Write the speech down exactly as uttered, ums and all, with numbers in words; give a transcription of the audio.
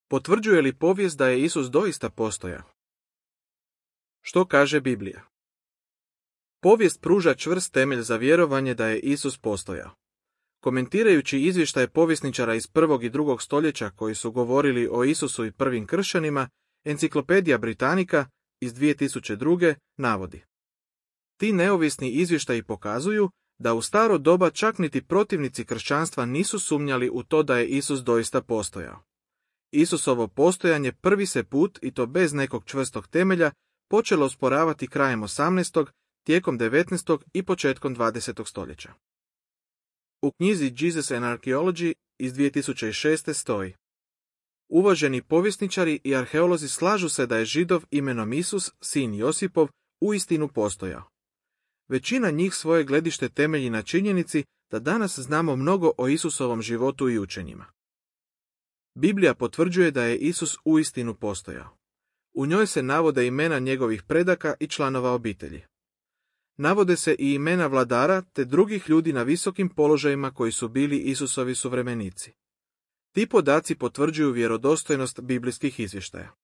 Potvrđuje li povijest da je Isus doista postojao? Što kaže Biblija? Povijest pruža čvrst temelj za vjerovanje da je Isus postojao. Komentirajući izvještaje povjesničara iz prvog i drugog stoljeća koji su govorili o Isusu i prvim kršćanima, Enciklopedija Britannica iz dvije tisuće druge. navodi: ti neovisni izvještaji pokazuju da u staro doba čak niti protivnici kršćanstva nisu sumnjali u to da je Isus doista postojao. Isusovo postojanje prvi se put, i to bez nekog čvrstog temelja, počelo osporavati krajem osamnaestog, tijekom devetnaestog i početkom dvadesetog stoljeća. U knjizi Jesus and Archaeology iz dvije tisuće šeste. stoji: uvaženi povjesničari i arheolozi slažu se da je Židov imenom Isus, sin Josipov, uistinu postojao. Većina njih svoje gledište temelji na činjenici da danas znamo mnogo o Isusovom životu i učenjima. Biblija potvrđuje da je Isus uistinu postojao. U njoj se navode imena njegovih predaka i članova obitelji. Navode se i imena vladara te drugih ljudi na visokim položajima koji su bili Isusovi suvremenici. Ti podaci potvrđuju vjerodostojnost biblijskih izvještaja.